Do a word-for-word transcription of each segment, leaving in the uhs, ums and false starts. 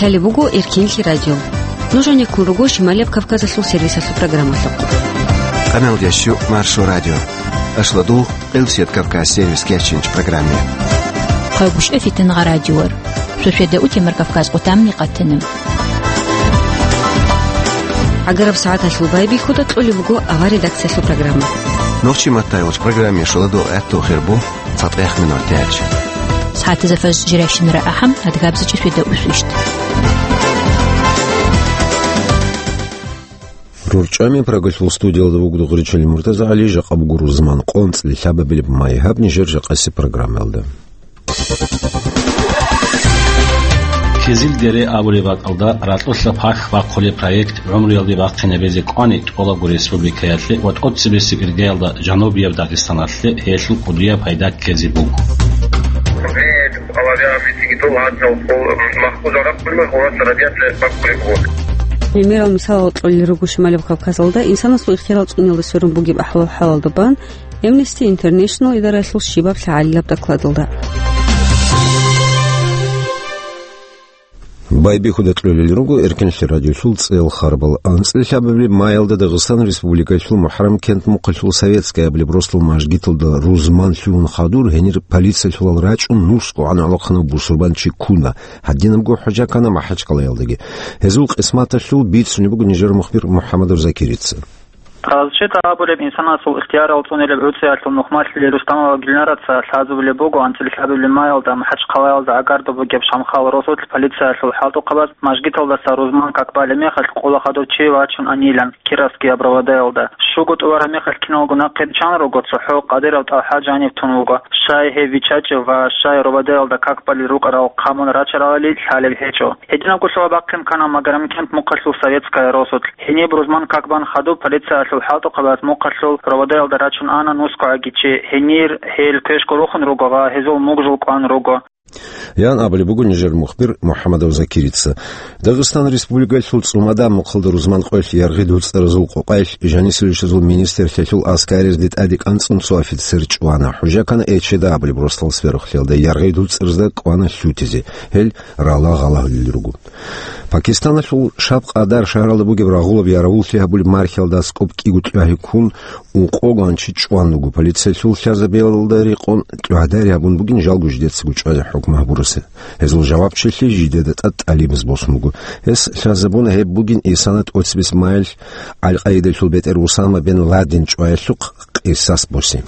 Лъалеб буго Эркинлъи радио. Нуж гьанеккун руго Шималияб Кавказалъул сервисалъул программалъухъ. Къаналдящу Маршо радио. Ашладул Элсет Кавказ сервис кечинч программе. Хъагушев Фитангъа радиор. Суседа утемар Кавказ къутамни къатана. Агараб сагӀаталъул байбихьуда кьолеб буго авар редакциялъул программа. Нохчи маттайгъуч программе шоладул гӀатту хирбу. ЦатӀехъ минут тяч. СагӀатазда фаз жиращинара ахӀам, адгабзачи светаусвищ. РорчӀами Прагалъул студиялда вугода гъуричӀел Муртаза ГӀали, жакъа буго рузман къо анцӀила лъабабилеб май. Гьаб нижер жакъасеб программаялда. Кизил дере абулеб бакӀалда ракьулъа пахь бахъулеб проект гӀумруялде бахъинабизе кӀвани тӀолабго республикаялъе ва тӀоцебесеб иргаялда Жанубияб Дагъистаналъе гьелъул кӀудияб пайда ккезе буго. Гьимерал мисалал кьолел руго Шималияб Кавказалда инсанасул ихтиярал цӀуниялда сверун бугеб ахӀвал-хӀалалда бан Amnesty International идараялъул щибаб лъагӀалилаб докладалда. Байбихьуда кьолел руго Эркинлъи радиолъул цӀел харбал. АнцӀила лъабабилеб маялда Дагъистан Республикалъул МухӀаррам кент-мухъалъул Советская абулеб росдал мажгиталда рузман лъугьун хадур, гьенир полициялъулал рачӀун нусго гӀан гӀолохъанав бусурбанчи ккуна. Гьадинабго хӀужа ккана МахӀачхъалаялдаги. Гьезул къисматалъул бицунеб буго нижер мухбир МухӀаммадов Закирица. Разчита абулеб инсанасул ихтиярал цӀунилеб гӀуцӀиялъул нухмалъи Рустамова Гилнараца лъазабулеб буго анцӀила лъабабилеб маялда МахӀачхъалаялда гӀагардаб бугеб Шамхал росулъ полициялъул хӀалтӀухъабаз мажгиталдаса рузман как балеб мехалъ къола хадур чи вачун анилан Кировскияб РОВД-ялда. Щуго тӀубараб мехалъ киналго нахъе биччан руго, цохӀо Къадиров ТӀалхӀа жаниб тун вуго. Щай гьев виччачӀев ва щай РОВД-ялда как балел рукӀарал хъамун рачаралали лъалеб гьечӀо. Гьединабго лъугьа-бахъин ккана Магарамкент мухъалъул Советская росулъ. Гьениб рузман как бан хадуб полициялъул хӀалтӀухъабаз мухъалъул РОВД-ялда рачун ана нусгогӀаги чи. Гьенир гьел квешго рухун руго ва гьезул мугжул кӀван руго. Ян абулеб буго нижер мухбир МухӀаммадов Закирица. Дагъистан Республикалъул ЦӀумада мухъалда рузман къоялъ яргъи дуцӀаразул къокъаялъ жанисилищазул министрлъиялъул аскаризде тӀаде кӀанцӀун цо офицер чӀвана. ХӀужа ккана Эчеда абулеб росдал сверухълъиялда, яргъи дуцӀаразда кӀвана лъутизе. Гьел рала гъалагьулел руго. Пакистаналъул Шаб Къадар шагьаралда бугеб рагъулаб яравуллъи гьабулеб мархиялда аскӀоб кӀиго кьвагьи ккун, ункъого анчи чӀван руго. Полициялъул лъазабиялда рекъон кьвагьдари гьабун бугин жалго жидецаго чӀвазе хӀукму гьабураса. Гьезул жавабчилъи жидеда тӀад тӀалибаз босун буго. Гьес лъазабуна гьеб бугин исана тӀоцебесеб маялъ Аль-Къаидалъул бетӀер Усама бен Ладен чӀваялъухъ къисас босе.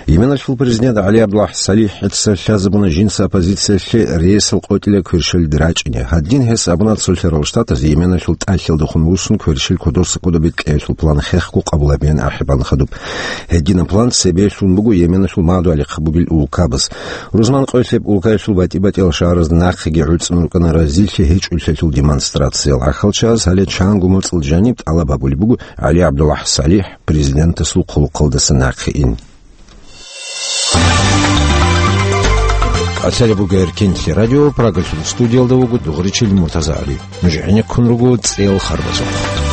Йеменалъул президент ГӀали ГӀабдуллахӀ СалихӀица лъазабуна жинца оппозициялъе рейсал къотӀилан кверщалиде рачӀине. Гьадин гьес абуна Цолъарал Штатаз Йеменалъул тӀалъиялдехун вуссун кверщел кодоса кодобе кьеялъул план хехго къабулабеян ахӀи бан хадуб. Гьединаб план цебе лъун буго Йеменалъул мадугӀали хъабугил улкабаз. Рузман къоялъ гьеб улкаялъул батӀи-батӀиял шагьаразда нахъеги гӀуцӀун рукӀана разилъи гьечӀолъиялъул демонстрациял. ГӀахьалчагӀаз гьале чанго моцӀал жаниб тӀалаб гьабулеб буго ГӀали ГӀабдуллахӀ СалихӀ президентасул хъулухъалдаса нахъе ин. Лъалеб буго Эркинлъи радио, Прагалъул студиялда вуго дугъричил Муртаза ГӀали. Нуж гӀенеккун руго цӀел харбазухъ.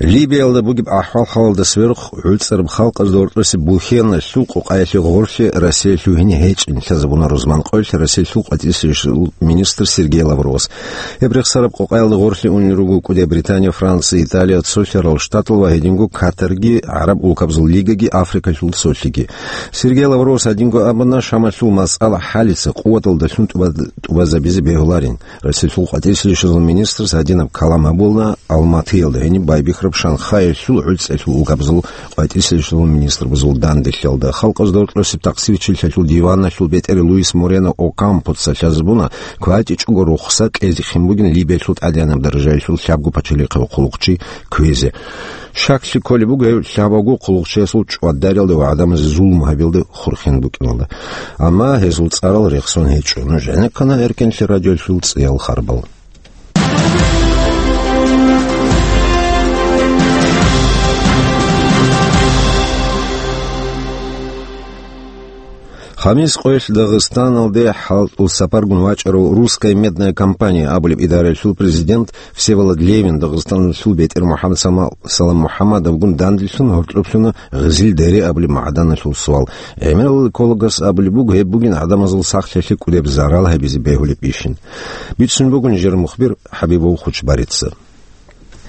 Либиялда бугеб ахӀвал-хӀалалда сверухъ гӀуцӀараб халкъазда гьоркьосе Бухеналъул къокъаялъе гъорлъе Россия лъугьине гьечӀин лъазабуна рузман къоялъ Россиялъул къватӀирсиялъул министр Сергей Лавровас. Гьеб рехсараб къокъаялда гъорлъе унел руго КӀудияб Британия, Франция, Италия, Цолъарал Штатал ва гьединго Катарги, ГӀараб улкабазул лигаги, Африкалъул цолъиги. Сергей Лавровас гьадинго абуна, Шамалъул масъала хӀалица къуваталдалъун тӀуба-, тӀубазабизе бегьуларин. Россиялъул къватӀирсиялъул министрас гьадинаб калам гьабуна Алматиялда гьениб байбихьараб Шанхаялъул гӀуцӀиялъул улкабазул къватӀирсиялъул министрабазул данделъиялда. Халкъазда гьоркьосеб тахсирчилъиялъул диваналъул бетӀер Луис Морено Окампоца лъазабуна, кватӀичӀого рухсат кьезе хин бугин Либиялъул тӀадегӀанаб даражаялъул лъабго пачалихъав хъулухъчи кквезе. Щаклъи кколеб буго гьев лъабавго хъулухъчиясул чӀвадариялда ва гӀадамазе зулму гьабиялда хурхен букӀиналда. Амма гьезул цӀарал рехсон гьечӀо. Нуж гӀенеккана Эркинлъи радиолъул цӀиял харбал. Хамис къоялъ Дагъистаналде хӀалтӀул сапаргун вачӀарав «Русская медная компания» абулеб идараялъул президент Всеволод Левин Дагъистаналъул бетӀер МухӀаммад Сама-, Салам МухӀаммадовгун данделъун гьоркьоблъуна Гъизил-Дере абулеб магӀданалъул свал. ГӀемерал экологас абулеб буго, гьеб бугин гӀадамазул сахлъиялъе кӀудеб зарал гьабизе бегьулеб ишин. Бицун буго нижер мухбир ХӀабибов Хучбарица.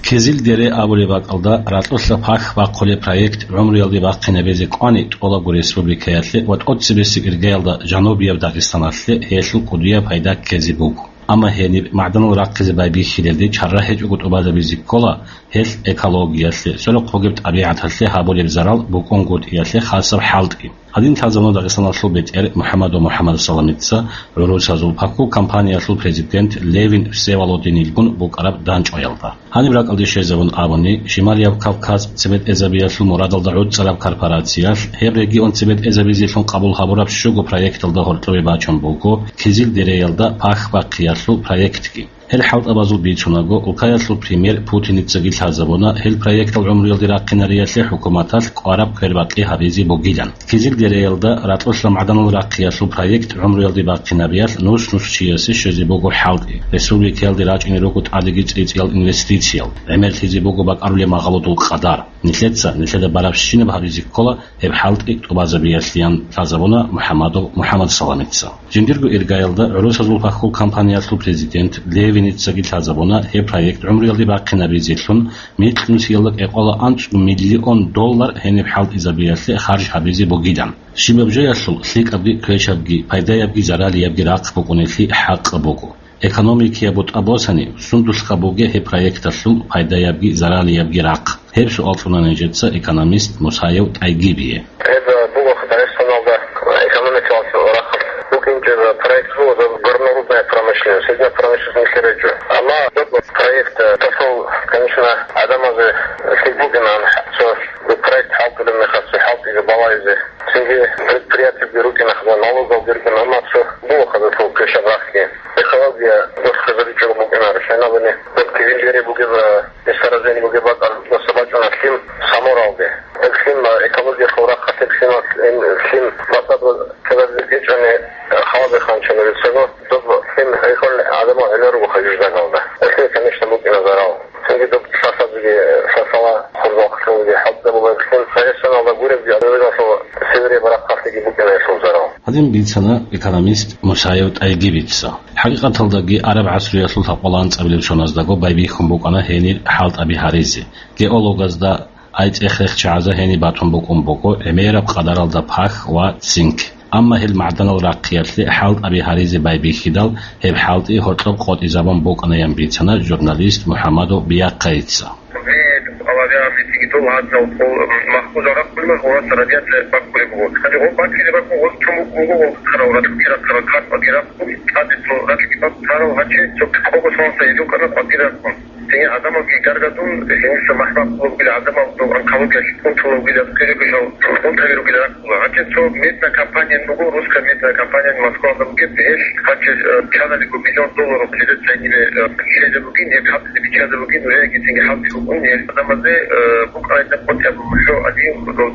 Кизил-Дере абулеб бакӀалда ракьулъа пахь бахъулеб проект гӀумруялде бахъинабизе кӀвани тӀолабго республикаялъе ва тӀоцебесеб иргаялда Жанубияб Дагъистаналъе гьелъул кӀудияб пайда ккезе буго. Амма гьениб магӀданал рахъизе байбихьилелде чара гьечӀого тӀубазабизе ккола гьелъ экологиялъе, сорокъ бугеб тӀабигӀаталъе гьабулеб зарал букӀунгутӀиялъе хасаб хӀалтӀи. Гьадин лъазабуна Дагъистаналъул бетӀер МухӀаммадов МухӀаммад Саламица гӀурусазул пахьул компаниялъул президент Левин Всеволодинилгун букӀараб дандчӀваялда. Гьаниб ракӀалде щвезабун абуни, Шималияб Кавказ цебетӀезабиялъул мурадалда гӀуцӀараб корпорациялъ гьеб регион цебетӀезабизелъун къабул гьабураб щуго проекталда гьоркьобе бачун буго Кизил-Дереялда пахь бахъиялъул проектги. Гьел хӀалтӀабазул бицунаго, улкаялъул премьер Путиницаги лъазабуна гьел проектал гӀумруялде рахъинариялъе хӀукуматалъ кӀвараб квербакъи гьабизе бугилан. Кизил-Дереялда ракьулъа магӀданал рахъиялъул проект гӀумруялде бахъинариялъ нус-нус чиясе щвезе буго хӀалтӀи. Республикаялде рачӀине руго тӀадеги цӀицӀиял инвестициял, гӀемерлъизе буго бакӀарулеб магъалудул къадар. Нилъеца нилъеда барабщинаб гьабизе ккола гьеб хӀалтӀи тӀубазабиялъеян лъазабуна МухӀаммадов МухӀаммад Саламица. Жиндирго иргаялда гӀурусазул пахьул компаниялъул президент Левиницаги лъазабуна гьеб проект гӀумруялде бахъинабизелъун микьнусиялда кӀикъола анцӀго миллион доллар гьениб хӀалтӀизабиялъе харж гьабизе бугилан. Щибаб жоялъул лъикӀабги квешабги, пайдаябги заралиябги рахъ букӀунелъи хӀакъаб буго. Экономикияб бутӀа босани, сундулъха бугеб гьеб проекталъул пайдаябги заралиябги рахъ? Гьеб суал кьуна нижеца экономист Мусаев ТӀайгибие. Гьеб буго Дагъистаналда экономикалъул рахъалъ букӀинчӀеб проект буго, доб горнорудная промышленность, гьединаб промышленность нилъер гьечӀо. Амма доб проект, э, тосол, конечно, гӀадамазе лъикӀ букӀинан, цо проект хӀалтӀулеб мехалъ, цо хӀалтӀизе балагьизе. Цинги предприятиеги рукӀина, налогалги рукӀина, амма цо буго хадусул квешаб рахъги. Экология досхъизабичӀого букӀинаро, щайнабани, Кизил-Дере бугеб, э, месторождение бугеб бакӀалдаса бачӀуна лъим Саморалде. Гьеб лъим, э, экологиялъул рахъалъ гьеб лъималъ, э, лъим бацӀцӀадаб ккезаризе гьечӀони, э, халазе ханчана рецаго, доб лъим гьайхъун гӀадамал гӀемер руго хажуждагалда. Гьелъие, конечно, букӀина зарал. Цинги доб лъалъазеги, лъалъала хурзахълъунги хӀалтӀизабулеб лъим, Дагъистаналда гуребги, гӀадамазул севере барахъалъеги букӀина гьелъул зарал. Гьадин бицана экономист Мусаев ТӀайгибица. ХӀакъикъаталдаги, араб гӀасруялъул лъабкъоялда анцӀабилеб соназдаго байбихьун букӀана гьенир хӀалтӀаби гьаризе. Геологазда, ай цӀех-рех чагӀазда гьениб батун букӀун буго гӀемераб къадаралда пахь ва цинк. Амма гьел магӀданал рахъиялъе хӀалтӀаби гьаризе байбихьидал, гьеб хӀалтӀи гьоркьоб къотӀизабун букӀанаян бицана журналист МухӀаммадов Биахъайица. Гьеб къаларигӀанлъи цинги дол гьадинал хъул махкузал рахъулеб гъораса радиация баккулеб буго. Гьанже гъоб баккизе баккун гъоз чумук буго, гъол тарал ратӀлги рахъарал, картӀги рахъун, тӀаде цо ратӀлги баккарал, гьанже цо кӀого сонса гьезул къана къватӀир рахъун. Цинги гӀадамалги гаргадун, гьениса махӀ баккулеб бугила, гӀадамал дов онкологиялъ унтулеб бугила, кӀиригушал унтаби ругила рахъула. Гьанже цо медная компания буго, русская медная компания Москвада бугеб, гьелъ гьанже, э, чаналиго миллион долларов лезет цайниле, э, лъезе бугин, гьеб хӀалтӀизе биччазе бугин, уже гьесинги хӀалтӀи букӀун, гьел гӀадамазе, э, букӀарайда къотӀи абун, лъо гьадин,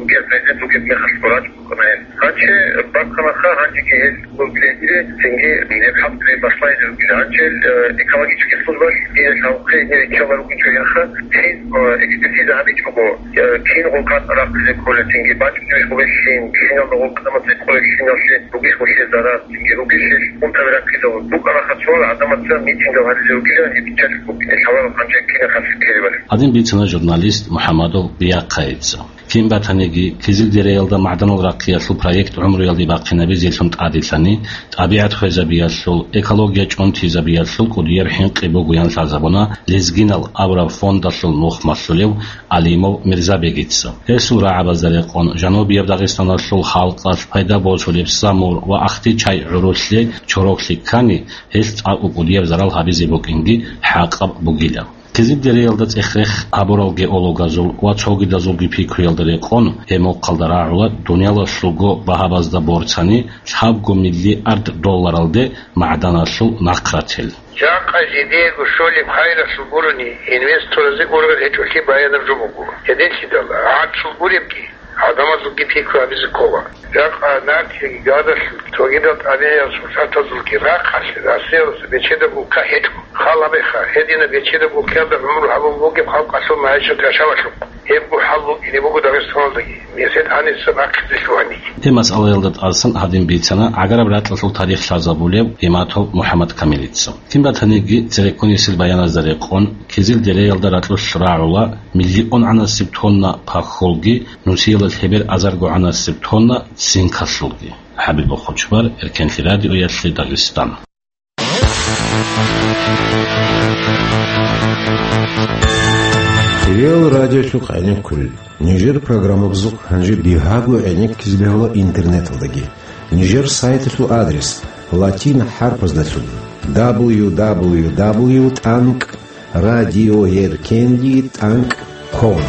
гьел президент бугеб мехалъ гурачӀ букӀана гьел. Гьанже бахъанаха, гьанжеги гьел лезиле, цинги гьеб хӀалтӀи башлайзе бугила. Гьанже, э, экологический службалъ гьел гьавухъе гьел иччала ругичӀо гьелха, гьез, э, экспертиза гьабичӀого, э, кин гъулкъад рахъизе кколел, цинги бачӀунебищ гъубел лъим, киналда гъулкъадамаз цӀикъулел лъималъе, ругищ гъулъе зарал, цинги ругищ гьел унтаби рахъизавун. БукӀанаха цоял гӀадамаца митингал гьаризе ругилан гьеб биччалъе бугин, гьаларал гьанже кинаб хасилъ ккелебали. Гьадин бицана журналист МухӀаммадов Биахъайица. Кин батаниги, Кизил-Дереялда магӀданал рахъиялъул проект гӀумруялде бахъинабизелъун тӀаделъани, тӀабигӀат хвезабиялъул, экология чӀунтизабиялъул кӀудияб хӀинкъи бугоян лъазабуна Лезгинал абураб фондалъул нухмалъулев Алимов Мирзабегица. Гьесул рагӀабазда рекъон, Жанубияб Дагъистаналъул халкъалъ пайда босулеб Самур ва Ахтичай гӀурулъе чороклъи ккани, гьелъ цӀакъго кӀудияб зарал гьабизе букӀинги хӀакъаб бугила. Кизил-Дереялда цӀех-рех гьабурал геологазул ва цогидазулги пикруялда рекъон, гьеб мухъалда рагӀула дуниялалъулго багьабазда борцани лъабго миллиард долларалде магӀданалъул нахърател. Жакъа жидеего щолеб хайралъул гурони инвесторазе ургъел гьечӀолъи баянаб жо буго. Гьединлъидал гӀакълу гуребги, гӀадамазулги пикру гьабизе ккола. Ракъа нахъеги гадалъ цогидал тӀадеял сурсатазулги рахъалъе Россиялдаса бечедаб улкха гьечӀо. Хал гьабеха, гьединаб бечедаб улкаялда гӀумру гьабун бугеб халкъалъул магӀишат яшавалъухъ. Гьеб гурхӀал букӀине буго Дагъистаналдаги, месед гьаниса бахъизе лъугьаниги. Гьеб масъалаялда тӀасан гьадин бицана гӀагараб ракьалъул тарих лъазабулев Иматов МухӀаммад Камилица. Кин батаниги, цереккунисел баяназда рекъон, Кизил дереялда ракьулъ рагӀула миллионгӀанасеб тонна пахьулги, нусиялда лъебер азаргогӀанасеб тонна цинкалъулги. ХӀабибул Хучбар, Эркенлъи радиоялъе Дагъистан. Реал радиолъухъ гӀенеккулел. Нижер программабазухъ гьанже бигьаго гӀенеккизе бегьула интернеталдаги. Нижер сайталъул адрес латин хӀарпаздалъун: дабл ю дабл ю дабл ю тӀанкӀ радиоеркенлъи тӀанкӀ ком.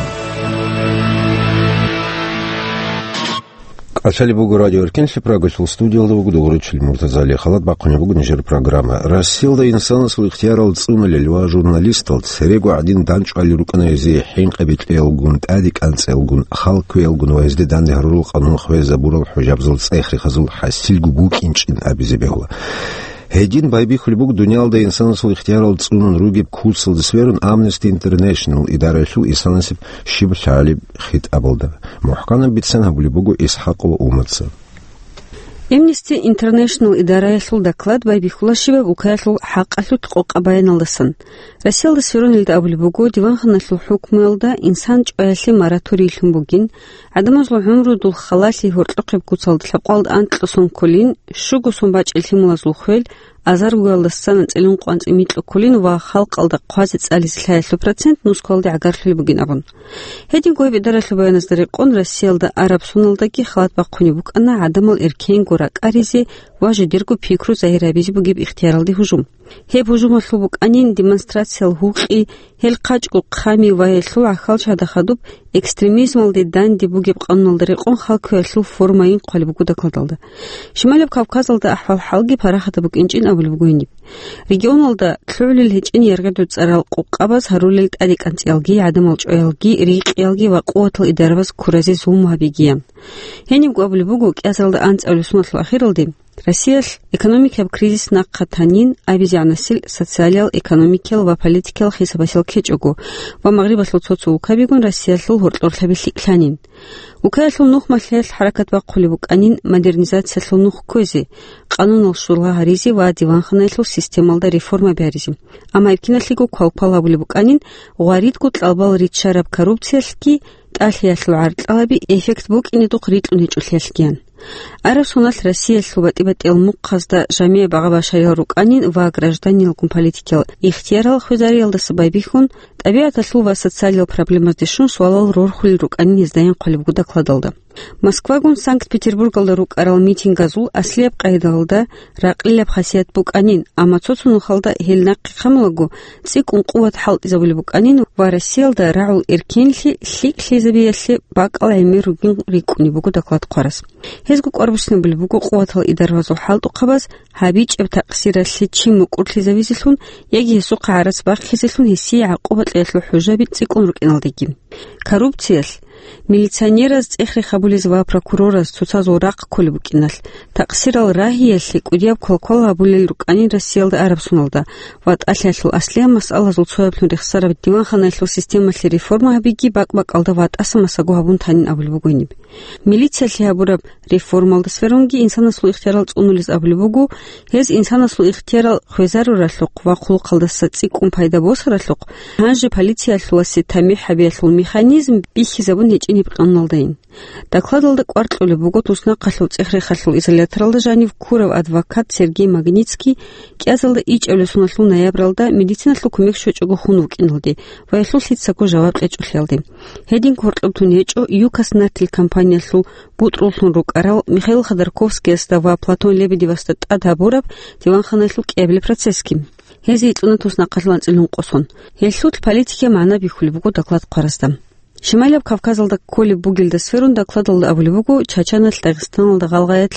КӀалъалеб буго Радио Эркенлъи, Прагалъул студиялда вуго дугӀурчил Муртазали. Халат бахъунеб буго нижер программа. Россиялда инсанасул ихтиярал цӀунулел ва журналистал церего гӀадин данчӀвали рукӀана гьезие хӀинкъи бикьиялгун, тӀаде кӀанцӀиялгун, хал кквеялгун ва гьезде данде гьарурал къанун хвезабурал хӀужабазул цӀех-рехазул хӀасилго букӀинчӀин абизе бегьула. Гьедин байбихьулеб буго дуниялда инсанасул ихтиярал цӀунун ругеб курсалда сверун Amnesty International идараялъул инсанасеб щиб лъалеб хитӀабалда. МухӀканаб бицан гьабулеб буго ИсхӀакъова Умаца. Amnesty International идараялъул доклад байбихьула щибаб улкаялъул хӀакъалъулъ къокъаб баяналдасан. Россиялда сверунелда абулеб буго, диванханалъул хӀукмуялда инсан чӀваялъе мораторийлъун бугин, гӀадамазул гӀумру дулх халалъи гьоркьохъеб куцалда лъабкъоялда анкьго сон кколин, щуго сон бачӀел лъималазул хвел, азаргоялдасан анцӀила ункъо анцӀила микьго кколин ва халкъалда хъвазе-цӀализе лъаялъул процент нускалде гӀагарлъулеб бугин абун. Гьединго гьеб идаралъул баяназда рекъон, Россиялда араб соналдаги халат бахъунеб букӀана гӀадамал эркенго ракӀаризе ва жидерго пикру загьир гьабизе бугеб ихтияралде гьужум. Гьеб гьужумалъул букӀанин демонстрациял гьукъи, гьел хъачӀго хъами ва гьелъул гӀахьалчагьда хадуб экстремизмалде данде бугеб къануналда рекъон хал кквеялъул формайин хъвалеб буго докладалда. Шималаб Кавказалда ахӀвал-хӀалги парахатаб букӀинчӀин абулеб буго гьениб. Регионалда лъугӀулел гьечӀин яргъидул цӀарал къукъабаз гьарулел тӀаде кӀанцӀиялги, гӀадамал чӀваялги, рикъиялги ва къуватал идарабаз ккуразе зулму гьабигиян. Гьенибго абулеб буго, кӀиазаралда анцӀабилеб соналъул ахиралде Россиялъ экономикияб кризис нахъа танин абизегӀанасел социалиял, экономикиял ва политикиял хисабалъ ккечӀого ва Магърибалъул цо-цо улкабигун Россиялъул гьоркьорлъаби лъикӀлъанин. Улкаялъул нухмалъиялъ хӀаракат бахъулеб букӀанин модернизациялъул нух кквезе, къануналъ шурла гьаризе ва диванханаялъул системалда реформаби гьаризе. Амма гьеб киналъего квалквал гьабулеб букӀанин гъваридго кьалбал риччараб коррупциялъги тӀалъиялъул гӀаркьалаби эффект букӀинедухъ рикьун гьечӀолъиялъгиян. Араб соналъ Россиялъул батӀи-батӀиял мухъазда жамигӀ багъа-башариял рукӀанин ва гражданиналгун политикиял ихтиярал хвезариялдаса байбихьун, тӀабигӀаталъул ва социалиял проблемазде щун суалал рорхулел рукӀанин гьездаин хъвалеб буго докладалда. Москвагун Санкт-Петербургалда рукӀарал митингазул аслияб къайдалда ракълилаб хасият букӀанин, амма цо-цо нухалда гьел нахъе хъамулаго цӀикӀкӀун къуват хӀалтӀизабулеб букӀанин ва Россиялда рагӀул эркенлъи лъикӀлъизабиялъе бакӀал гӀемер ругин рикӀкӀунеб буго доклад хъварас. Гьезго кӀвар буссинабулеб буго къуватал идарабазул хӀалтӀухъабаз гьабичӀеб такъсиралъе чи мукӀурлъизавизелъун яги гьесухъа гӀарац бахъизелъун гьесие гӀакъуба кьеялъул хӀужаби цӀикӀкӀун рукӀиналдеги. Коррупциялъ, милиционераз цӀех-рех гьабулез ва прокурораз цоцазул рахъ кколеб букӀиналъ, такъсирал рагьиялъе кӀудияб квалквал гьабулел рукӀанин Россиялда араб соналда ва тӀалъиялъул аслияб масъалазул цояблъун рехсараб диванханаялъул системалъе реформа гьабиги бакӀ-бакӀалда ва тӀаса масаго гьабун танин абулеб буго гьениб. Милициялъе гьабураб реформалда сверунги инсанасул ихтиярал цӀунулез абулеб буго, гьез инсанасул ихтиярал хвезаруралъухъ ва хъулухъалдаса цӀикӀкӀун пайда босаралъухъ, гьанже полициялъуласе тамихӀ гьабиялъул механизм бихьизабун гьечӀин гьеб къануналдайин. Докладалда кӀвар кьолеб буго туснахъалъув цӀех-рехалъул изоляторалда жанив ккурав адвокат Сергей Магнитский кӀиазалда ичӀабилеб соналъул ноябралда медициналъул кумек щвечӀого хун вукӀиналде ва гьелъул лъицаго жаваб кьечӀолъиялде. Гьедин гьоркьоб тун гьечӀо ЮКОС нартил компаниялъул бутӀруллъун рукӀарал Михаил Ходорковскиясда ва Платон Лебедевасда тӀад гьабураб диванханаялъул кӀиабилеб процессги. Гьезие кьуна туснахъалъул анцӀила ункъо сон. Гьелъул политикияб магӀна бихьулеб буго доклад хъварасда. Шималияб Кавказалда кколеб бугелда сверун докладалда абулеб буго, Чачаналъ, Дагъистаналда, Гъалгъаялъ,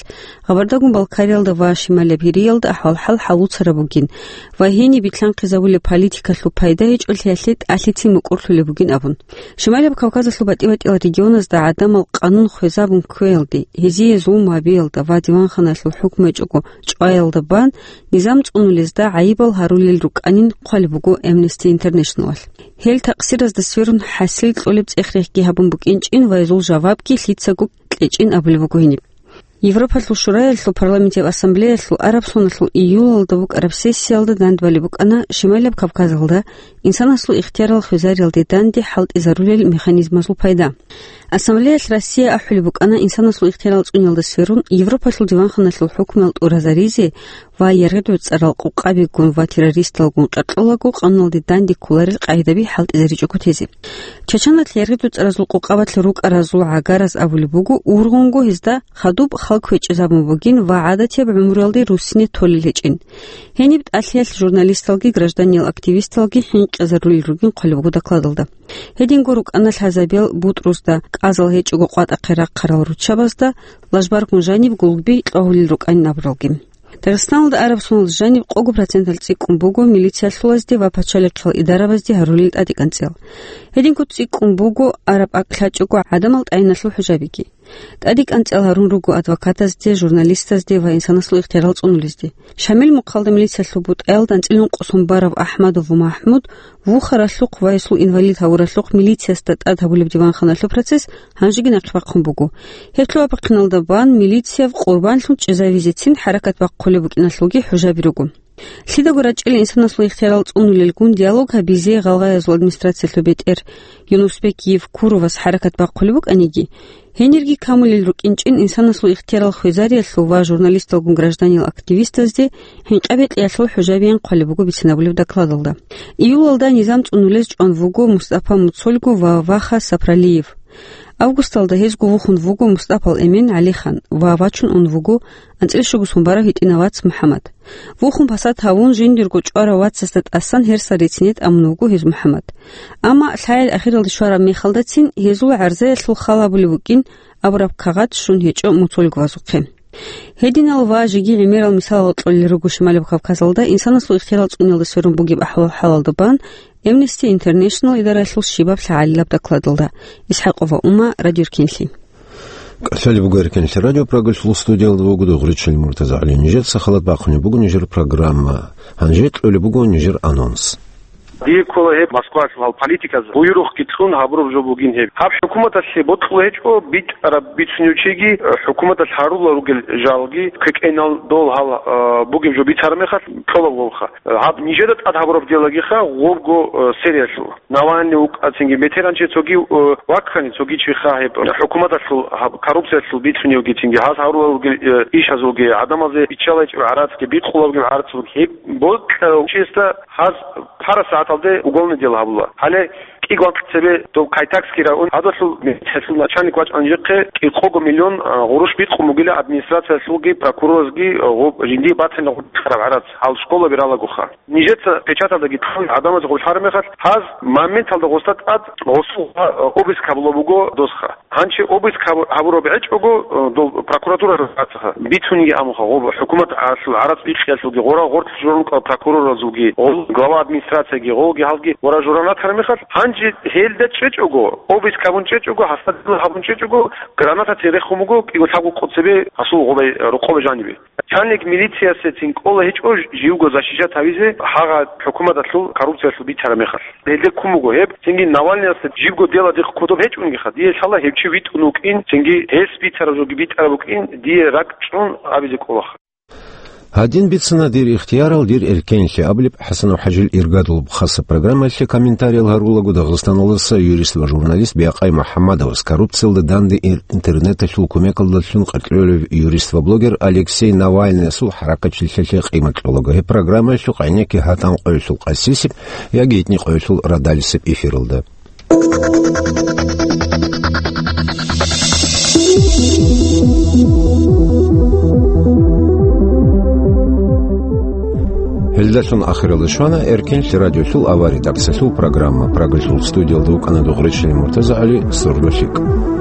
Гъабардагун Балкариялда ва Шималияб Гьириялда ахӀвал-хӀал гьалуцараб бугин ва гьениб битлъанхъизабулеб политикалъул пайда гьечӀолъиялъе тӀалъицин мукӀурлъулеб бугин абун. Шималияб Кавказалъул батӀи-батӀиял регионазда гӀадамал къанун хвезабун кквеялде, гьезие зулму гьабиялда ва диванханаялъул хӀукму гьечӀого чӀваялда бан низам цӀунулезда гӀайибал гьарулел рукӀанин хъвалеб буго Amnesty International-алъ. Гьел такъсиразда сверун хӀасил кьолеб цӀех-рехги гьабун букӀинчӀин ва гьезул жавабги лъицаго кьечӀин абулеб буго гьениб. Европалъул Шураялъул парламентияб ассамблеялъул араб соналъул июлалда букӀараб сессиялда дандбалеб букӀана Шималияб Кавказалда инсанасул ихтиярал хвезариялде данде хӀалтӀизарулел механизмазул пайда. Ассамблеялъ Россия ахӀулеб букӀана инсанасул ихтиярал цӀуниялда сверун Европалъул диванханалъул хӀукмуял тӀуразаризе ва яргъи-дуцӀарал къукъабигун ва террористалгун къеркьолаго къануналде данде кколарел къагӀидаби хӀалтӀизаричӀого тезе. Чачаналъ яргъи-дуцӀаразул къукъабалъ рукӀаразул гӀагараз абулеб буго, ургъунго гьезда хадуб хал квечӀезабун бугин ва гӀадатияб гӀумруялде руссине толел гьечӀин. Гьениб тӀалъиялъ журналисталги гражданиял активисталги хӀинкъизарулел ругин хъвалеб буго докладалда. Гьединго рукӀана лъазабиял бутӀрузда, кӀазал гьечӀого къватӀахъе рахъарал руччабазда, лажбаргун жаниб гулгби кьвагьулел рукӀанин абуралги. Дагъистаналда араб соналда жаниб къого проценталъ цӀикӀкӀун буго милициялъулазде ва пачалихъал идарабазде гьарулел тӀадекӀанцӀел. Гьединго цӀикӀкӀун буго араб акӀ лъачӀого гӀадамал тӀагӀиналъул хӀужабиги. ТӀадекӀанцӀел гьарун руго адвокатазде, журналистазде ва инсанасул ихтиярал цӀунулезде. Шамил мухъалда милициялъул бутӀаялда анцӀила ункъо сон барав АхӀмадов МахӀмуд вухаралъухъ ва гьесул инвалид гьавуралъухъ милициясда тӀад гьабулеб диванханалъул процесс гьанжеги нахъе бахъун буго. Гьеб лъугьа-бахъиналда бан милицияб къурбанлъун чӀезавизецин хӀаракат бахъулеб букӀиналъулги хӀужаби руго. Лъидаго рачӀила инсанасул ихтиярал цӀунулелгун диалог гьабизе гъалгъаязул администрациялъул бетӀер Юнусбек Евкуровас хӀаракат бахъулеб букӀаниги, гьенирги камулел рукӀинчӀин инсанасул ихтиярал хвезариялъул ва журналисталгун гражданиял активистазде хӀинкъа-бекьиялъул хӀужабиян хъвалеб буго бицинабулеб докладалда. Июлалда низам цӀунулез чӀван вуго Мустапа Муцольгу ва Ваха Сапралиев. Августалда гьезго вухун вуго Мустапал эмен ГӀалихан ва вачун ун вуго анцӀила щуго сон барав гьитӀинав вац МухӀаммад. Вухун пасат гьавун, жиндирго чӀварав вацасда тӀасан гьерсал рицине тӀамун вуго гьез МухӀаммад. Амма лъаял ахиралде щвараб мехалдацин гьезул гӀарзаялъул хал гьабулеб букӀин абураб кагъат щун гьечӀо Муцольговазухъе. Гьединал ва жеги гӀемерал мисалал кьолел руго Шималаб Кавказалда инсанасул ихтиярал цӀуниялда сверун бугеб ахӀвал-хӀалалда бан Amnesty International идаралъул щибаб лъагӀалилаб докладалда. ИсхӀакъова Ума, Радио Эркенлъи. КӀалъалеб буго Эркенлъи радио Прагалъул студиялда вуго Дугъричил Муртазагьли. Нижеца халат бахъунеб буго нижер программа. Гьанже кьолеб буго нижер анонс. Дие ккола гьеб Москвалъул гьал политиказ буюрухъги кьун гьабураб жо бугин гьеб. Гьаб хӀукуматалъе бокьулеб гьечӀо, битӀараб бицунев чиги, э, хӀукуматалъ гьарулел ругел жалги, квекӀенал дол гьал, э, бугеб жо бицараб мехалъ кьолеб гьебха. Э, гьаб нижеда тӀад гьабураб делагиха гъобго, э, сериялъул. Навальный вукӀа цинги, метеран чи цоги, э, ваккани цоги чиха гьеб, э, хӀукуматалъул гьаб коррупциялъул бицуневги цинги, гьаз гьарулел ругел, э, ишазулги, гӀадамазе биччалайчӀеб гӀарацги, бикъулебги гӀарацулги. Гьеб бокьарав чиясда гьаз пара сагӀаталде уголовный дело гьабула. Гьале кӀикӀвакъ цебе доб Кайтакский район, гьадалъул милициясул начальник вачӀана жинхъе кӀикъого миллион, а, гъурущ бикъун бугила администрациялъулги прокуроралъги, а, гъоб-, жиндие батани гъоркьараб гӀарац, гьал школа биралаго ха. Нижеца печаталдаги ккун гӀадамазе гъорлъараб мехалъ, гьаз моменталда гъосда тӀад гъосул, а, обыск гьабула буго досха. Гьанчи обыск гьабу-, гьабураб гьечӀого, э, дол прокуратура рацӀцӀаха бицунги амуха, гъоб хӀукумат гӀалъул гӀарац бихъиялъулги, гъора гъоркь журнукъа прокуроразулги, гъол глава администрацияги, гъолги гьалги гъора журан ратараб мехалъ, гьанчи гьелда чӀечӀого, обыск гьабун чӀечӀого, гьасда дила гьабун чӀечӀого, гранатацин рехун буго кӀиго-лъабго къо цебе гьасул гъобай, рокъобе жанибе. Начальник милициясецин кӀола гьечӀо живго защищать гьавизе гьагъа хӀукуматалъул коррупциялъул бицараб мехалъ. Гьелде ккун буго гьеб, цинги Навальныясда жибго дело дихъ кодоб гьечӀунгиха, дие лъала гьев чи витӀун вукӀин, цинги гьес бицараб жоги битӀараб букӀин, дие ракӀчӀун абизе кӀолаха. Гьадин бицана «Дир ихтиярал, дир эркенлъи» абулеб ХӀасанов ХӀажил иргадулаб хасаб программаялъе. Комментариял гьарулаго Дагъистаналдаса юрист ва журналист Бякъай МухӀаммадовас, коррупциялда данде ир-, интернеталъул кумекалдалъун къеркьевлъарав юрист ва блогер Алексей Навальныясул хӀаракатчилъиялъе къимат кьолаго. Гьеб программаялъухъ гӀенекке гьатӀан къоялъул къасисеб яги итни къоялъул радалисеб эфиралда. Гьел Залъун ахиралда щвана Эркенлъи радиолъул авария редакциялъул программа. Прагалъул студиялда вукӀана Дугъречилин МуртазагӀали, сордо лъикӀ.